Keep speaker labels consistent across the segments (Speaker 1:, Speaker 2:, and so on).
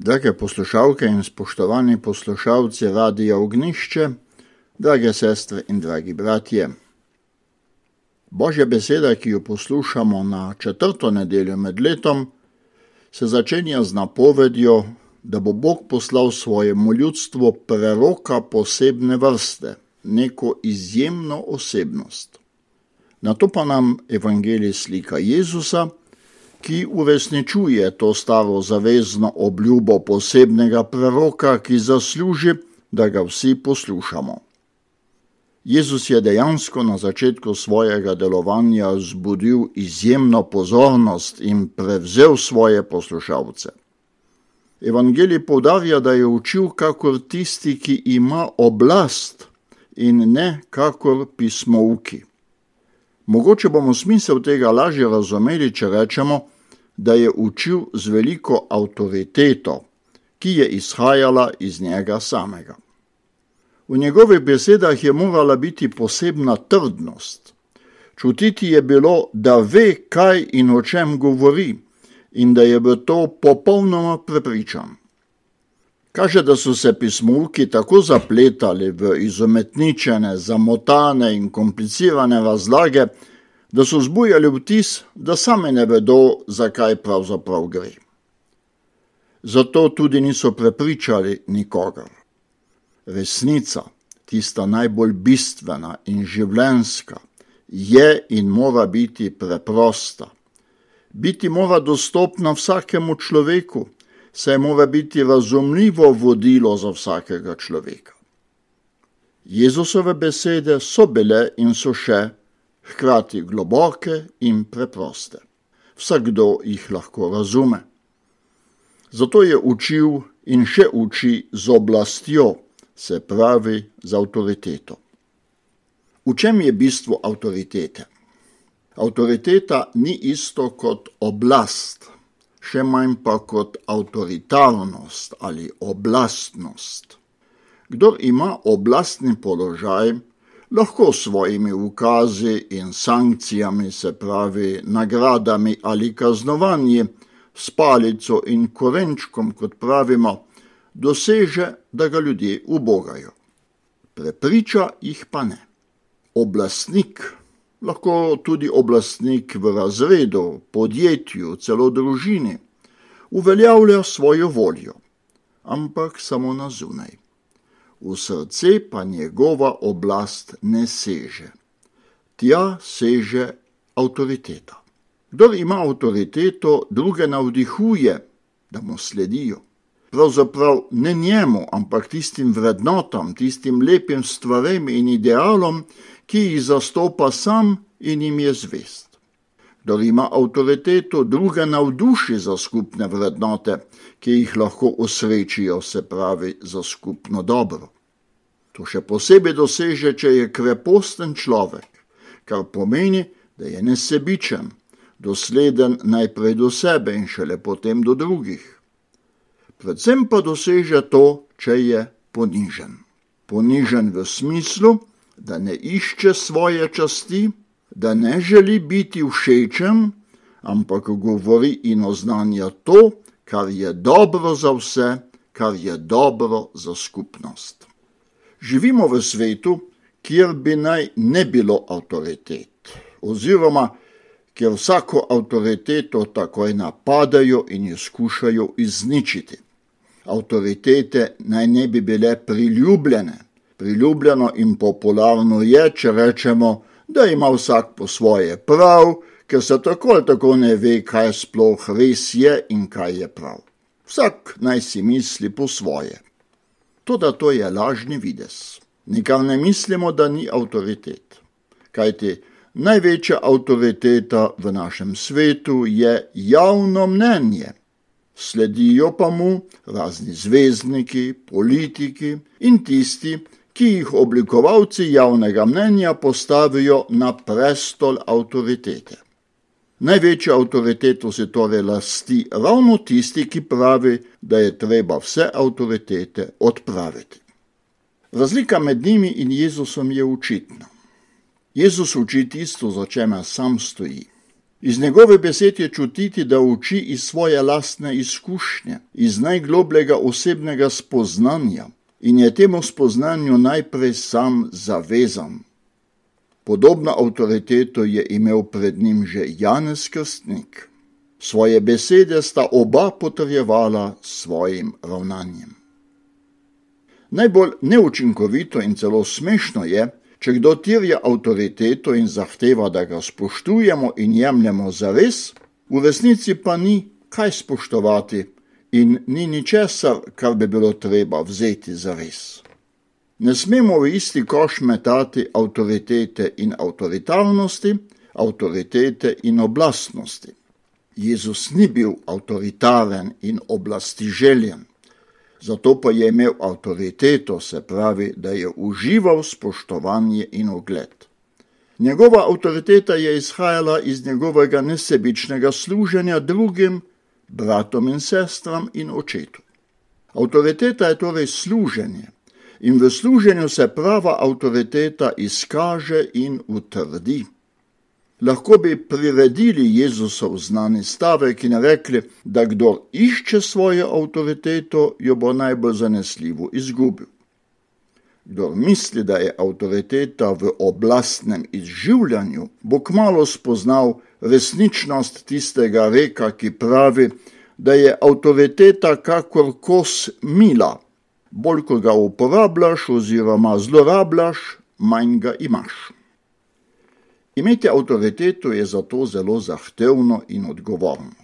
Speaker 1: Drage poslušalke in spoštovani poslušalci Radia Ognjišče, drage sestre in dragi bratje. Božja beseda, ki jo poslušamo na 4. nedeljo med letom, se začenja z napovedjo, da bo Bog poslal svojemu ljudstvu preroka posebne vrste, neko izjemno osebnost. Nato pa nam evangelij slika Jezusa, ki uresničuje to staro zavezno obljubo posebnega preroka, ki zasluži, da ga vsi poslušamo. Jezus je dejansko na začetku svojega delovanja vzbudil izjemno pozornost in prevzel svoje poslušalce. Evangelij poudarja, da je učil kakor tisti, ki ima oblast in ne kakor pismouki. Mogoče bomo smisel tega lažje razumeli, če rečemo, da je učil z veliko avtoriteto, ki je izhajala iz njega samega. V njegovih besedah je morala biti posebna trdnost. Čutiti je bilo, da ve, kaj in o čem govori, in da je v to popolnoma prepričan. Kaže, da so se pismouki tako zapletali v izumetničene, zamotane in komplicirane razlage, da so zbujali vtis, da sami ne vedo, zakaj pravzaprav gre. Zato tudi niso prepričali nikogar. Resnica, tista najbolj bistvena in življenjska, je in mora biti preprosta. Biti mora dostopna vsakemu človeku, saj mora biti razumljivo vodilo za vsakega človeka. Jezusove besede so bile in so še hkrati globoke in preproste. Vsakdo jih lahko razume. Zato je učil in še uči z oblastjo, se pravi z avtoriteto. V čem je bistvo avtoritete? Avtoriteta ni isto kot oblast, še manj pa kot avtoritarnost ali oblastnost. Kdor ima oblastni položaj, lahko s svojimi ukazi in sankcijami, se pravi nagradami ali kaznovanji, s palico in korenčkom, kot pravimo, doseže, da ga ljudje ubogajo. Prepriča jih pa ne. Oblastnik, lahko tudi oblastnik v razredu, podjetju, celo družini, uveljavlja svojo voljo, ampak samo na zunaj. V srce pa njegova oblast ne seže. Tja seže avtoriteta. Kdor ima avtoriteto, druge navdihuje, da mu sledijo. Pravzaprav ne njemu, ampak tistim vrednotam, tistim lepim stvarem in idealom, ki jih zastopa sam in jim je zvest. Kdor ima avtoriteto, druge navduši za skupne vrednote, ki jih lahko osrečijo, se pravi za skupno dobro. To še posebej doseže, če je kreposten človek, kar pomeni, da je nesebičen, dosleden najprej do sebe in šele potem do drugih. Predvsem pa doseže to, če je ponižen. Ponižen v smislu, da ne išče svoje časti, da ne želi biti všečen, ampak govori in oznanja to, kar je dobro za vse, kar je dobro za skupnost. Živimo v svetu, kjer bi naj ne bilo avtoritet, oziroma kjer vsako avtoriteto takoj napadajo in jo skušajo izničiti. Avtoritete naj ne bi bile priljubljene. Priljubljeno in popularno je, če rečemo, da ima vsak po svoje prav, ker se tako ali tako ne ve, kaj sploh res je in kaj je prav. Vsak naj si misli po svoje. Toda to je lažni videz. Nikar ne mislimo, da ni avtoritet. Kajti največja avtoriteta v našem svetu je javno mnenje. Sledijo pa mu razni zvezdniki, politiki in tisti, ki jih oblikovalci javnega mnenja postavijo na prestol avtoritete. Največjo avtoriteto si torej lasti ravno tisti, ki pravi, da je treba vse avtoritete odpraviti. Razlika med njimi in Jezusom je očitna. Jezus uči tisto, za čemer sam stoji. Iz njegove besed je čutiti, da uči iz svoje lastne izkušnje, iz najglobljega osebnega spoznanja in je temu spoznanju najprej sam zavezan. Podobno avtoriteto je imel pred njim že Janez Krstnik. Svoje besede sta oba potrjevala svojim ravnanjem. Najbolj neučinkovito in celo smešno je, če kdo terja avtoriteto in zahteva, da ga spoštujemo in jemljemo zares, v resnici pa ni kaj spoštovati in ni ničesar, kar bi bilo treba vzeti zares. Ne smemo v isti koš metati avtoritete in avtoritarnosti, avtoritete in oblastnosti. Jezus ni bil avtoritaren in oblastiželjen, zato pa je imel avtoriteto, se pravi, da je užival spoštovanje in ugled. Njegova avtoriteta je izhajala iz njegovega nesebičnega služenja drugim, bratom in sestram in očetu. Avtoriteta je torej služenje in v služenju se prava avtoriteta izkaže in utrdi. Lahko bi priredili Jezusov znani stavek in rekli, da kdor išče svojo avtoriteto, jo bo najbolj zanesljivo izgubil. Kdor misli, da je avtoriteta v oblastnem izživljanju, bo kmalu spoznal resničnost tistega reka, ki pravi, da je avtoriteta kakor kos mila. Bolj ko ga uporabljaš oziroma zlorabljaš, manj ga imaš. Imeti avtoriteto je zato zelo zahtevno in odgovorno.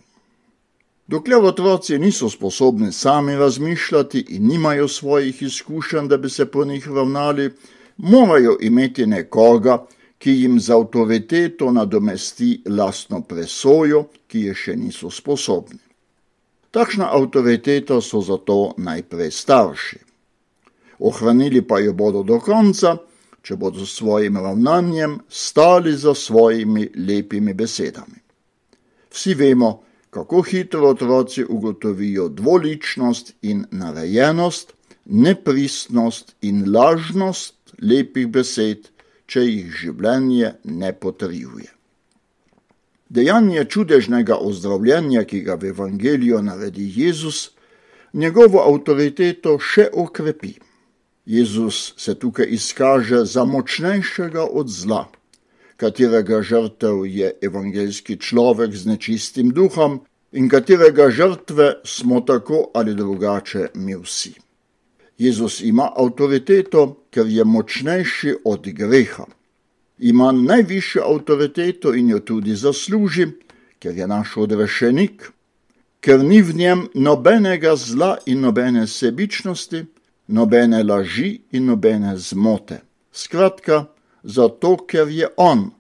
Speaker 1: Dokler otroci niso sposobni sami razmišljati in nimajo svojih izkušenj, da bi se po njih ravnali, morajo imeti nekoga, ki jim z avtoriteto nadomesti lastno presojo, ki je še niso sposobni. Takšna avtoriteta so zato najprej starši. Ohranili pa jo bodo do konca, če bodo s svojim ravnanjem stali za svojimi lepimi besedami. Vsi vemo, kako hitro otroci ugotovijo dvoličnost in narejenost, nepristnost in lažnost lepih besed, če jih življenje ne potrjuje. Dejanje čudežnega ozdravljenja, ki ga v evangeliju naredi Jezus, njegovo avtoriteto še okrepi. Jezus se tukaj izkaže za močnejšega od zla, katerega žrtev je evangeljski človek z nečistim duhom in katerega žrtve smo tako ali drugače mi vsi. Jezus ima avtoriteto, ker je močnejši od greha. Ima najvišjo avtoriteto in jo tudi zasluži, ker je naš odrešenik, ker ni v njem nobenega zla in nobene sebičnosti, nobene laži in nobene zmote. Skratka, zato, ker je on,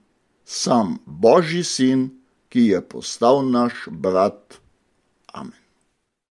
Speaker 1: sam Božji sin, ki je postal naš brat. Amen.